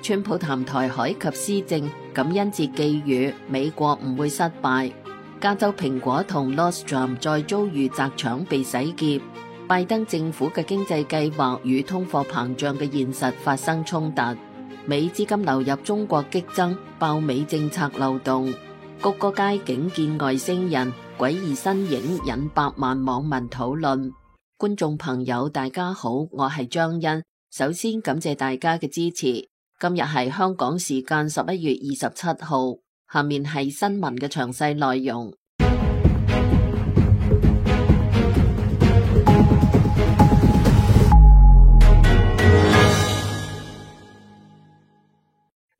川普談台海及施政，感恩節寄語美國唔會失敗。加州蘋果同 Nordstrom 再遭遇砸搶被洗劫。拜登政府嘅經濟計劃與通貨膨脹嘅現實發生衝突。美資金流入中國激增，爆美政策漏洞。谷歌街景見外星人，詭異身影引百萬網民討論。觀眾朋友大家好，我係張欣。首先感謝大家嘅支持。今日係香港時間11月27號，下面係新聞嘅詳細內容。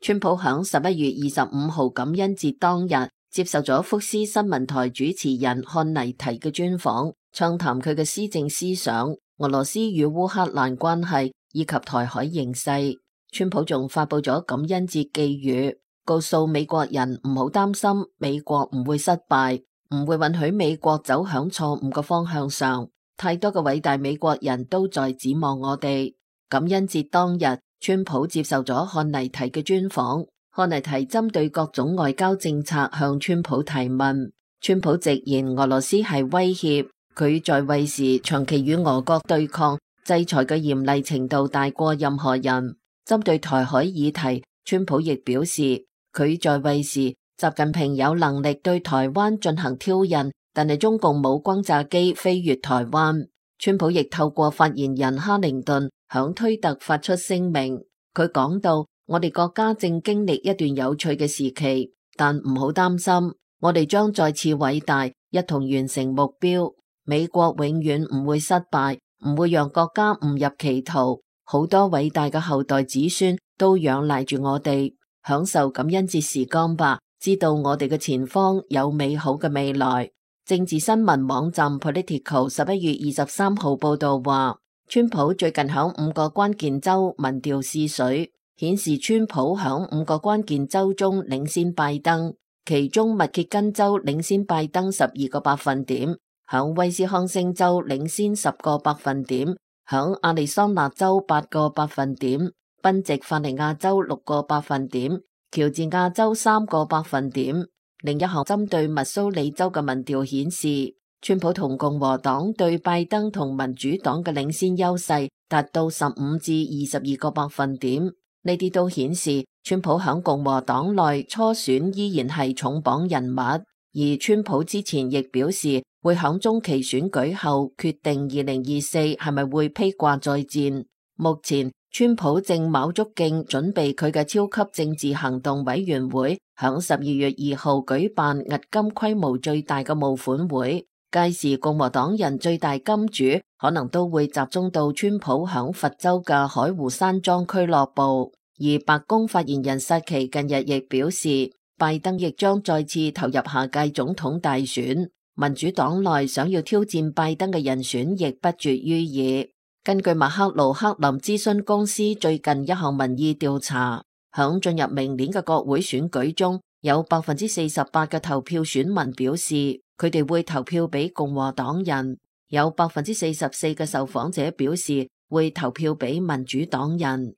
川普響11月25號感恩節當日接受咗福斯新聞台主持人漢尼提嘅專訪，暢談佢嘅施政思想、俄羅斯與烏克蘭關係以及台海形勢。川普仲發佈咗感恩節寄語，告訴美國人唔好擔心，美國唔會失敗，唔會允許美國走向錯誤嘅方向上。太多嘅偉大美國人都在指望我哋。感恩節當日，川普接受咗漢尼提嘅專訪，漢尼提針對各種外交政策向川普提問。川普直言俄羅斯係威脅，佢在位時長期與俄國對抗，制裁嘅嚴厲程度大過任何人。針對台海議題，川普亦表示佢在位時習近平有能力對台灣進行挑釁，但係中共冇轟炸機飛越台灣。川普亦透過發言人哈靈頓響推特發出聲明，佢講到我哋國家正經歷一段有趣嘅時期，但唔好擔心，我哋將再次偉大，一同完成目標。美國永遠唔會失敗，唔會讓國家誤入歧途。好多偉大嘅後代子孫都仰賴住我哋，享受感恩節時光吧，知道我哋嘅前方有美好嘅未來。政治新聞網站 Political 11月23號報道話，川普最近響5個關鍵州民調試水，顯示川普響5個關鍵州中領先拜登，其中密歇根州領先拜登12個百分點，響威斯康星州領先10個百分點，響亞利桑那州8個百分點，賓夕法尼亞州6個百分點，喬治亞州3個百分點。另一項針對密蘇里州嘅民調顯示，川普同共和黨對拜登同民主黨嘅領先優勢達到15至22個百分點。呢啲都顯示川普響共和黨內初選依然係重磅人物，而川普之前亦表示會響中期選舉後決定2024係咪會披掛再戰。目前川普正卯足勁準備佢嘅超級政治行動委員會響12月2號舉辦迄今規模最大嘅募款會，屆時共和黨人最大金主可能都會集中到川普響佛州嘅海湖山莊俱樂部。而白宮發言人薩奇近日亦表示，拜登亦將再次投入下屆總統大選，民主黨內想要挑戰拜登嘅人選亦不絕於耳。根據麥克盧克林諮詢公司最近一項民意調查，響進入明年嘅國會選舉中，有48%嘅投票選民表示佢哋會投票俾共和黨人，有44%嘅受訪者表示會投票俾民主黨人。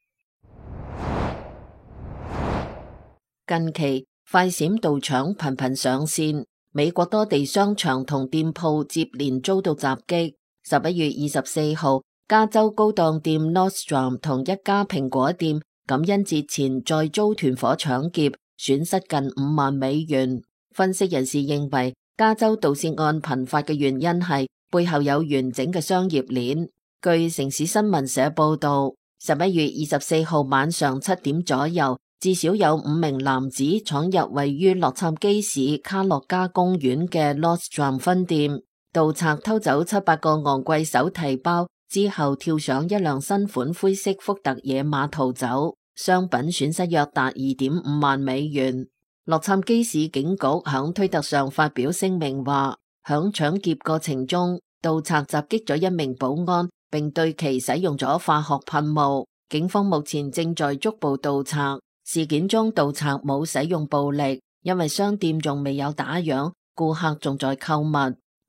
近期快閃盜搶頻頻上線，美國多地商場同店鋪接連遭到襲擊。11月24號，加州高檔店 Nordstrom 同一家蘋果店感恩節前再遭團伙搶劫，損失近5萬美元。分析人士認為，加州盜竊案頻發嘅原因係背後有完整嘅商業鏈。據城市新聞社報道，11月24號晚上7點左右，至少有5名男子闖入位於洛杉磯市卡洛加公園嘅 Nordstrom 分店，盜賊偷走700個昂貴手提包，之後跳上一輛新款灰色福特野馬逃走，商品損失約達2.5萬美元。洛杉磯市警局響推特上發表聲明話，響搶劫過程中，盜賊襲擊咗一名保安，並對其使用咗化學噴霧。警方目前正在捉捕盜賊。事件中盜賊冇使用暴力，因為商店仲未有打烊，顧客仲在購物。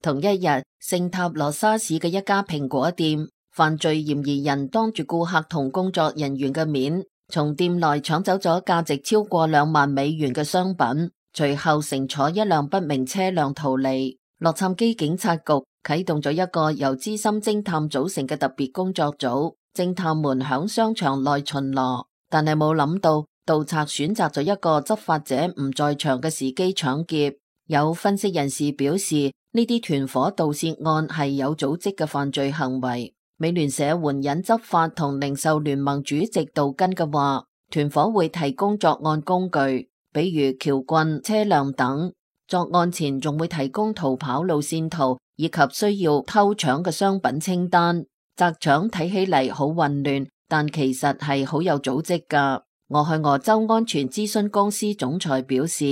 同一日，聖塔羅沙市嘅一家蘋果店，犯罪嫌疑人當住顧客同工作人員嘅面，從店內搶走咗價值超過2萬美元嘅商品，隨後乘坐一輛不明車輛逃離。洛杉磯警察局啟動咗一個由資深偵探組成嘅特別工作組，偵探們響商場內巡邏，但係冇諗到盜賊選擇咗一個執法者唔在場嘅時機搶劫。有分析人士表示，呢啲團伙盜竊案係有組織嘅犯罪行為。美聯社援引執法同零售聯盟主席杜根嘅話，團伙會提供作案工具，比如撬棍、車輛等。作案前仲會提供逃跑路線圖以及需要偷搶嘅商品清單。賊搶睇起嚟好混亂，但其實係好有組織㗎。俄亥俄州安全諮詢公司總裁表示，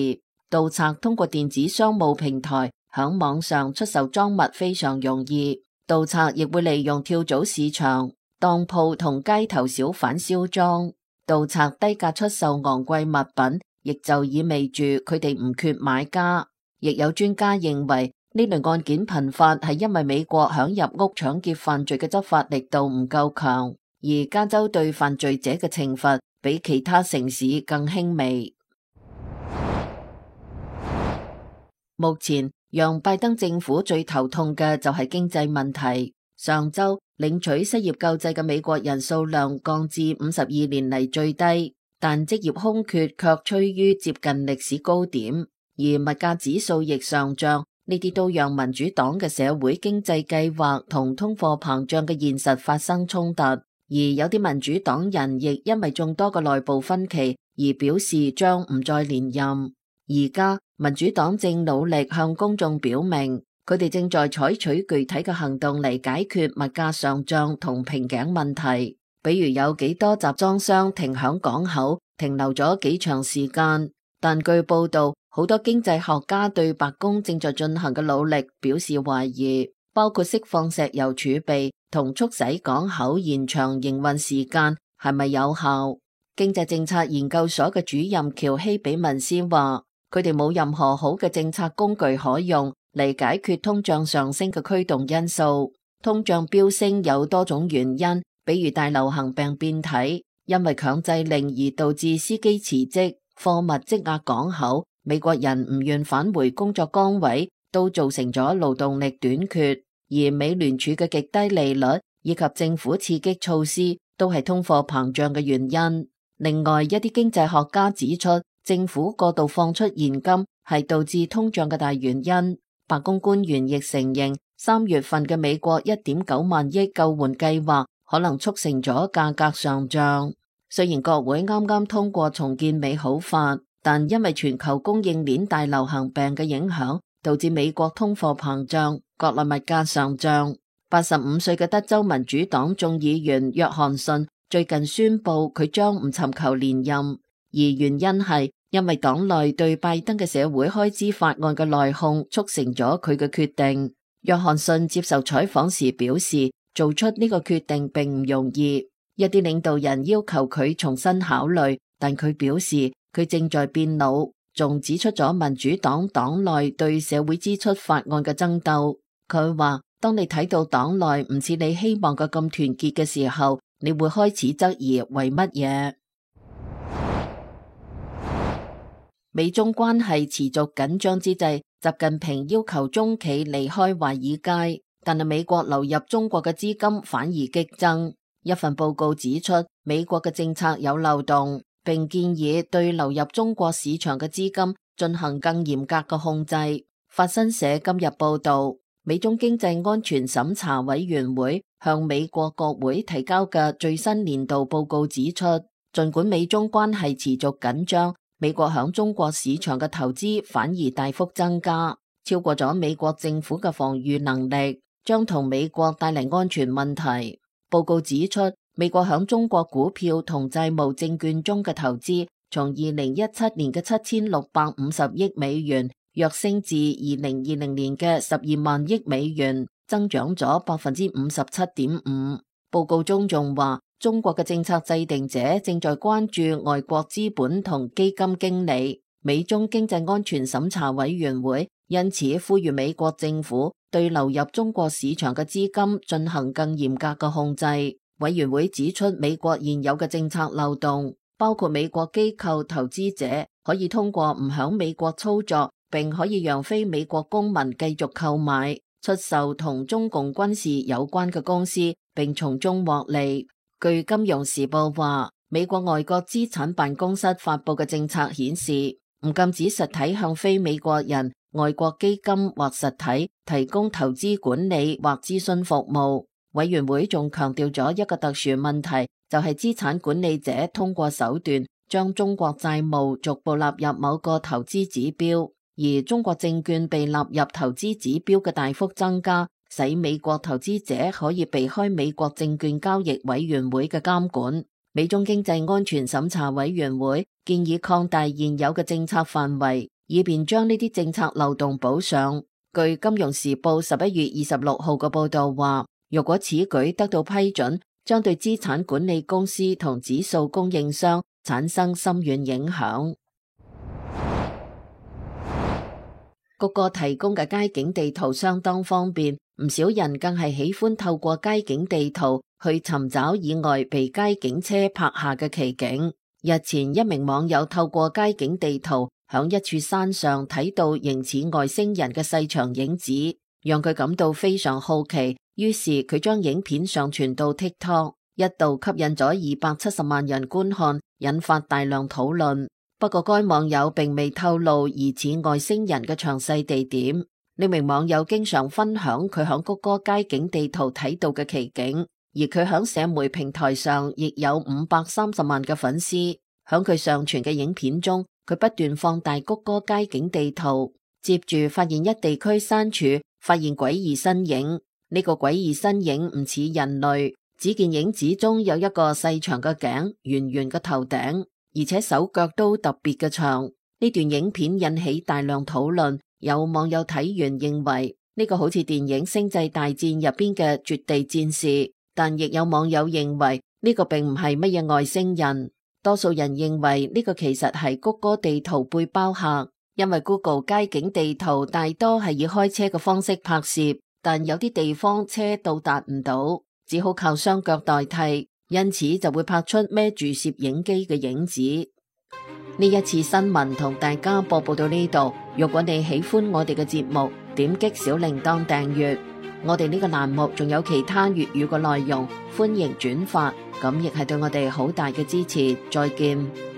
盜賊通過電子商務平台響網上出售贓物非常容易。盜賊亦會利用跳蚤市場、當鋪同街頭小販銷贓。盜賊低價出售昂貴物品，亦就意味住佢哋唔缺買家。亦有專家認為，呢類案件頻發係因為美國響入屋搶劫犯罪嘅執法力度唔夠強，而加州對犯罪者嘅懲罰比其他城市更輕微。目前讓拜登政府最頭痛嘅就係經濟問題。上周領取失業救濟嘅美國人數量降至52年嚟最低，但職業空缺卻趨於接近歷史高點，而物價指數亦上漲。呢啲都讓民主黨嘅社會經濟計劃同通貨膨脹嘅現實發生衝突，而有啲民主黨人亦因為眾多嘅內部分歧而表示將唔再連任。而家民主黨正努力向公眾表明，佢哋正在採取具體嘅行動嚟解決物價上漲同瓶頸問題，比如有幾多集裝箱停響港口停留咗幾長時間。但據報道，好多經濟學家對白宮正在進行嘅努力表示懷疑，包括釋放石油儲備同促使港口延長營運時間係咪有效。經濟政策研究所嘅主任喬希比文斯話，佢哋冇任何好嘅政策工具可用嚟解決通脹上升嘅驅動因素。通脹飆升有多種原因，比如大流行病變體，因為強制令而導致司機辭職、貨物積壓港口，美國人唔願返回工作崗位，都造成咗勞動力短缺。而美聯儲嘅極低利率以及政府刺激措施都係通貨膨脹嘅原因。另外，一啲經濟學家指出，政府過度放出現金係導致通脹嘅大原因。白宮官員亦承認，3月份嘅美國1.9萬億救援計劃可能促成咗價格上漲。雖然國會啱啱通過重建美好法，但因為全球供應鏈大流行病嘅影響，導致美國通貨膨脹，國內物價上漲。85歲嘅德州民主黨眾議員約翰遜最近宣布佢將唔尋求連任，而原因係因為黨內對拜登嘅社會開支法案嘅內控促成咗佢嘅決定。約翰遜接受採訪時表示，做出呢個決定並唔容易。一啲領導人要求佢重新考慮，但佢表示佢正在變老，仲指出咗民主黨黨內對社會支出法案嘅爭鬥。佢話，當你睇到黨內唔似你希望嘅咁團結嘅時候，你會開始質疑為乜嘢。美中關係持續緊張之際，習近平要求中企離開華爾街，但係美國流入中國嘅資金反而激增。一份報告指出，美國嘅政策有漏洞，並建議對流入中國市場嘅資金進行更嚴格嘅控制。法新社今日報道，美中經濟安全審查委員會向美國國會提交嘅最新年度報告指出，儘管美中關係持續緊張，美國響中國市場嘅投資反而大幅增加，超過咗美國政府嘅防禦能力，將同美國帶嚟安全問題。報告指出，美國響中國股票同債務證券中嘅投資，從2017年嘅7650億美元躍升至2020年嘅12萬億美元，增長咗57.5%。報告中仲話，中國嘅政策制定者正在關注外國資本同基金經理。美中經濟安全審查委員會因此呼籲美國政府對流入中國市場嘅資金進行更嚴格嘅控制。委員會指出，美國現有嘅政策漏洞，包括美國機構投資者可以通過唔響美國操作，並可以讓非美國公民繼續購買、出售同中共軍事有關嘅公司，並從中獲利。據《金融時報》話，美國外國資產辦公室發佈嘅政策顯示，唔禁止實體向非美國人、外國基金或實體提供投資管理或諮詢服務。委員會仲強調咗一個特殊問題，就係資產管理者通過手段將中國債務逐步納入某個投資指標，而中國證券被納入投資指標嘅大幅增加，使美國投資者可以避開美國證券交易委員會嘅監管。美中經濟安全審查委員會建議擴大現有嘅政策範圍，以便將呢啲政策漏洞補上。據《金融時報》11月26號嘅報道話，若果此舉得到批准，將對資產管理公司同指數供應商產生深遠影響。谷歌提供嘅街景地圖相當方便，唔少人更係喜歡透過街景地圖去尋找以外被街景車拍下嘅奇景。日前，一名網友透過街景地圖響一處山上睇到形似外星人嘅細長影子，讓佢感到非常好奇。於是佢將影片上傳到 TikTok， 一度吸引咗270萬人觀看，引發大量討論。不過該網友並未透露疑似外星人嘅詳細地點。呢名網友經常分享佢響谷歌街景地圖睇到嘅奇景，而佢響社媒平台上亦有530萬嘅粉絲。響佢上傳嘅影片中，佢不斷放大谷歌街景地圖，接住發現一地區山柱發現詭異身影。呢個詭異身影唔似人類，只見影子中有一個細長嘅頸、圓圓嘅頭頂，而且手腳都特別嘅長。呢段影片引起大量討論，有網友睇完認為呢個好似電影《星際大戰》入邊嘅絕地戰士，但亦有網友認為呢個並唔係乜嘢外星人。多數人認為呢個其實係谷歌地圖背包客，因為 Google 街景地圖大多係以開車嘅方式拍攝。但有啲地方車到達唔到，只好靠雙腳代替，因此就會拍出孭住攝影機嘅影子。呢一次新聞同大家播報到呢度。如果你喜歡我哋嘅節目，點擊小鈴鐺訂閱。我哋呢個欄目仲有其他粵語嘅內容，歡迎轉發，咁亦係對我哋好大嘅支持。再見。